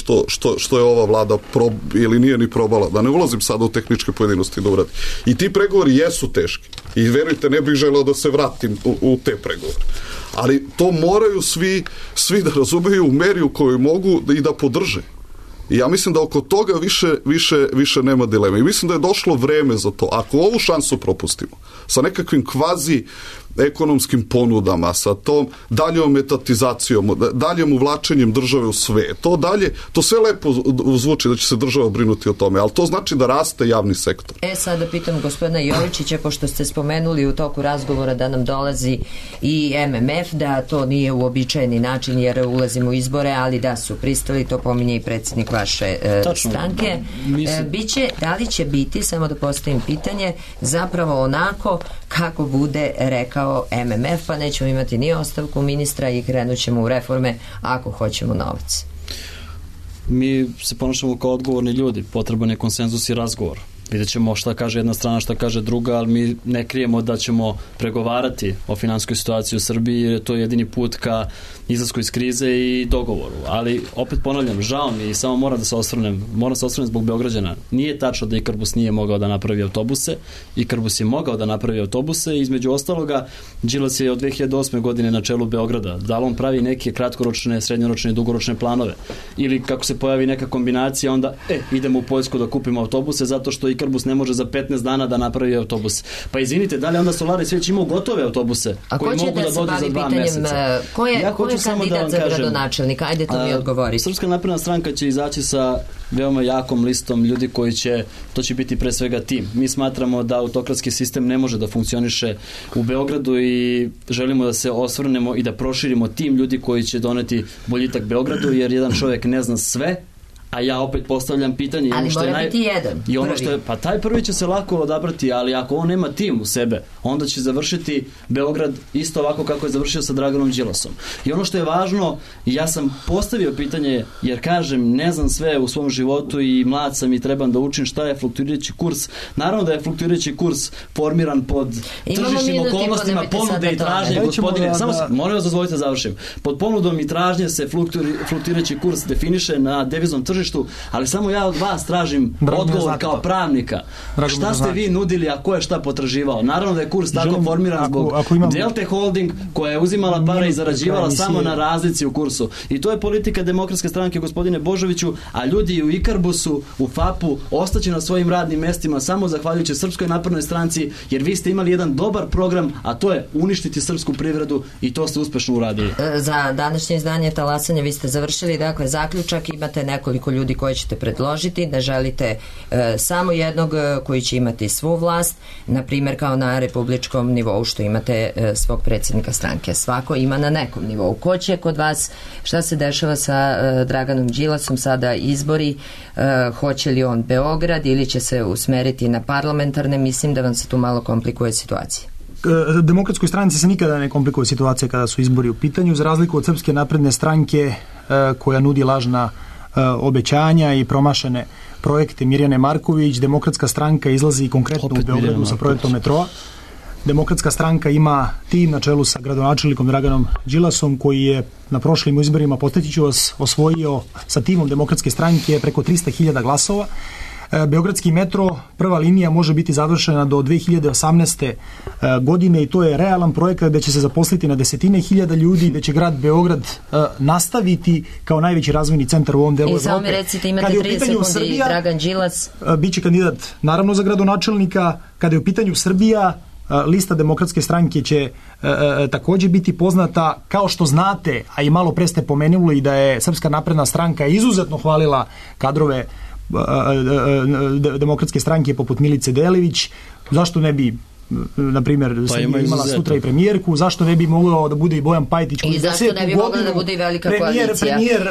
što je ova vlada ili nije ni probala, da ne ulazim sada u tehničke pojedinosti da uradi. I ti pregovori jesu teški i verujte, ne bih želeo da se vratim u te pregovore. Ali to moraju svi da razumeju u meri u kojoj mogu i da podrže. I ja mislim da oko toga više nema dileme. I mislim da je došlo vreme za to. Ako ovu šansu propustimo, sa nekakvim kvazi ekonomskim ponudama, sa tom daljom etatizacijom, daljim uvlačenjem države u sve, to sve lepo zvuči da će se država brinuti o tome, ali to znači da raste javni sektor. Sada pitam gospodina Jovičića, pošto ste spomenuli u toku razgovora da nam dolazi i MMF, da to nije uobičajeni način jer ulazimo u izbore, ali da su pristali, to pominje i predsjednik vaše stranke. Da li će biti, samo da postavim pitanje, zapravo onako kako bude rekao MMF, pa nećemo imati ni ostavku ministra i krenut ćemo u reforme ako hoćemo novac. Mi se ponašamo kao odgovorni ljudi, potreban je konsenzus i razgovor. Vidjet ćemo šta kaže jedna strana, šta kaže druga, ali mi ne krijemo da ćemo pregovarati o finansijskoj situaciji u Srbiji, jer je to jedini put ka izlasku iz krize i dogovoru. Ali opet ponavljam, žao mi i samo moram se osvrnem zbog Beograđana. Nije tačno da Ikarbus nije mogao da napravi autobuse. Ikarbus je mogao da napravi autobuse i između ostaloga Đilas je od 2008. godine na čelu Beograda. Da li on pravi neke kratkoročne, srednjoročne i dugoročne planove? Ili kako se pojavi neka kombinacija, onda idemo u Poljsku da kupimo autobuse zato što Ikarbus ne može za 15 dana da napravi autobus. Pa izvinite, da li onda Solaris već imao gotove autobuse koji mogu da dođu za 2 meseca? Ko je kandidat za gradonačelnika? Ajde to mi odgovoriti. Srpska napredna stranka će izaći sa veoma jakom listom ljudi to će biti pre svega tim. Mi smatramo da autokratski sistem ne može da funkcioniše u Beogradu i želimo da se osvrnemo i da proširimo tim ljudi koji će doneti boljitak Beogradu, jer jedan čovjek ne zna sve, a ja opet postavljam pitanje. Ali mora biti jedan. I ono što je, pa taj prvi će se lako odabrati, ali ako on nema tim u sebe, onda će završiti Beograd isto ovako kako je završio sa Draganom Đilasom. I ono što je važno, ja sam postavio pitanje, jer kažem, ne znam sve u svom životu i mlad sam i trebam da učim šta je fluktuirajući kurs. Naravno da je fluktuirajući kurs formiran pod tržišnim okolnostima ponude i tražnje, gospodine. Molim vas, dozvolite da završim. Pod ponudom i tražnje se fluktuirajući kurs definiše na deviznom tržištu, ali samo ja od vas tražim odgovor kao pravnika. Šta ste vi nudili, a ko je šta potraživao? Naravno da je kurs tako formiran zbog Delte Holding koja je uzimala pare i zarađivala samo na razlici u kursu. I to je politika Demokratske stranke, gospodine Božoviću, a ljudi u Ikarbusu, u FAP-u ostaće na svojim radnim mestima samo zahvaljujući Srpskoj naprednoj stranci, jer vi ste imali jedan dobar program, a to je uništiti srpsku privredu i to ste uspešno uradili. Za današnje izdanje Talasanja vi ste završili, dakle zaključak, imate nekoliko ljudi koje ćete predložiti, da želite samo jednog koji će imati svu vlast, na primjer kao na republičkom nivou što imate svog predsjednika stranke. Svako ima na nekom nivou. Ko će kod vas, šta se dešava sa Draganom Đilasom, sada izbori, hoće li on Beograd ili će se usmeriti na parlamentarne, mislim da vam se tu malo komplikuje situacija. Demokratskoj stranci se nikada ne komplikuje situacija kada su izbori u pitanju, za razliku od Srpske napredne stranke koja nudi lažna obećanja i promašene projekte Mirjane Marković. Demokratska stranka izlazi konkretno u Beogradu sa projektom metroa. Demokratska stranka ima tim na čelu sa gradonačelnikom Draganom Đilasom koji je na prošlim izborima, podsjeću vas, osvojio sa timom Demokratske stranke preko 300.000 glasova. Beogradski metro, prva linija može biti završena do 2018. godine i to je realan projekat gde će se zaposliti na desetine hiljada ljudi, gde će grad Beograd nastaviti kao najveći razvojni centar u ovom delu Evrope. I samo mi recite, imate 30 sekundi, Srbija, Dragan Đilas. Biće kandidat naravno za gradonačelnika. Kada je u pitanju Srbija, lista Demokratske stranke će također biti poznata. Kao što znate, a i malo pre ste pomenuli da je Srpska napredna stranka izuzetno hvalila kadrove Demokratske stranke poput Milice Delević, zašto ne bi na primjer imala sutra i premijerku, zašto ne bi mogao da bude i Bojan Pajtić i zašto ne bi mogla da bude i velika koalicija premijer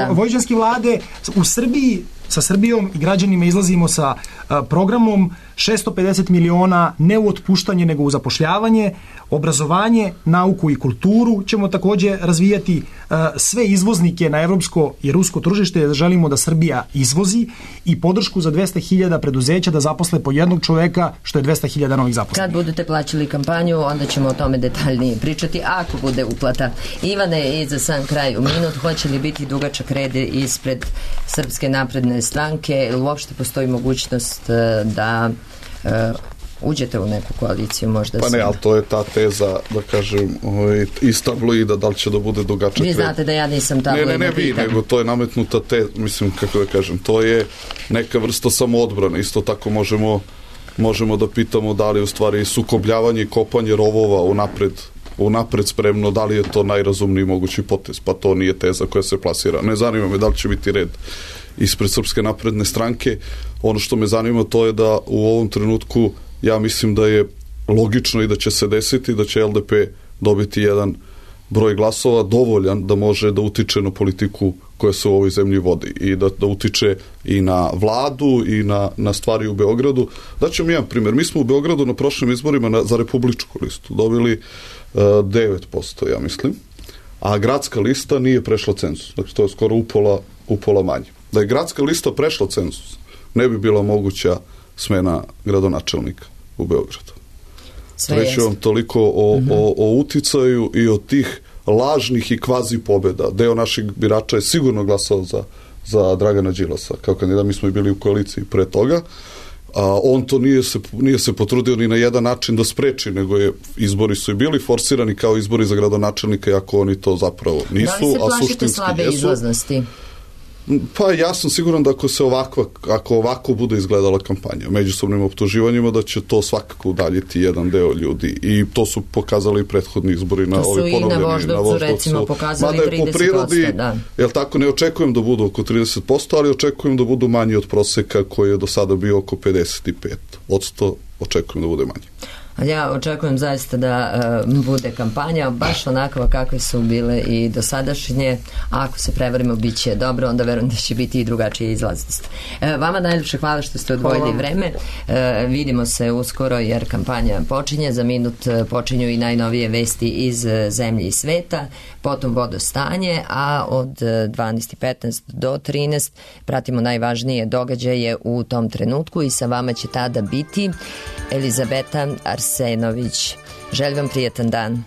vojvođanske vlade. U Srbiji, sa Srbijom i građanima izlazimo sa programom 650 miliona ne u otpuštanje nego u zapošljavanje, obrazovanje, nauku i kulturu ćemo također razvijati, sve izvoznike na evropsko i rusko tržište želimo da Srbija izvozi i podršku za 200.000 preduzeća da zaposle po jednog čoveka, što je 200.000 novih zaposlenih. Kad budete plaćali kampanju, onda ćemo o tome detaljnije pričati, ako bude uplata. Ivane, i za sam kraj u minut, hoće li biti dugačak red ispred Srpske napredne stranke, ili uopšte postoji mogućnost da uđete u neku koaliciju možda? Pa ne, ali to je ta teza, da kažem, iz tabloida, da li će da bude dugačak red. Vi znate da ja nisam tabloidna. Ne vi, nego to je nametnuta mislim, kako da kažem, to je neka vrsta samoodbrane. Isto tako možemo da pitamo da li u stvari sukobljavanje i kopanje rovova unapred spremno, da li je to najrazumniji mogući potez, pa to nije teza koja se plasira. Ne zanima me da li će biti red ispred Srpske napredne stranke. Ono što me zanima to je da u ovom trenutku ja mislim da je logično i da će se desiti da će LDP dobiti jedan broj glasova dovoljan da može da utiče na politiku koja se u ovoj zemlji vodi i da utiče i na vladu i na stvari u Beogradu. Daću mi jedan primjer. Mi smo u Beogradu na prošlim izborima za republičku listu dobili 9%, ja mislim, a gradska lista nije prešla cenzus. Dakle, to je skoro upola manje. Da je gradska lista prešla cenzus, ne bi bila moguća smena gradonačelnika u Beogradu. Reći vam toliko o uticaju i o tih lažnih i kvazi pobjeda. Deo naših birača je sigurno glasao za Dragana Đilasa kao kandidat. Mi smo i bili u koaliciji pre toga. On to nije se potrudio ni na jedan način da spreči, nego izbori su i bili forsirani kao izbori za gradonačelnika, iako oni to zapravo nisu. Da li se plašite slabe izlaznosti? Pa ja sam siguran da ako ovako bude izgledala kampanja međusobnim optuživanjima, da će to svakako udaljiti jedan deo ljudi i to su pokazali prethodni izbori na ovoj ponovljeni. To su i na Voždovcu recimo pokazali 30%. Po prirodi, jel tako, ne očekujem da budu oko 30%, ali očekujem da budu manji od proseka koji je do sada bio oko 55%. Očekujem da bude manji. Ali ja očekujem zaista da bude kampanja baš onakva kakve su bile i dosadašnje. Ako se prevarimo, bit će dobro, onda verujem da će biti i drugačija izlaznost. Vama najljepše hvala što ste odvojili vreme. Vidimo se uskoro jer kampanja počinje. Za minut počinju i najnovije vesti iz zemlje i sveta, potom vodostanje, a od 12:15 do 13 pratimo najvažnije događaje u tom trenutku i sa vama će tada biti Elizabeta Arsenović. Želim vam prijetan dan.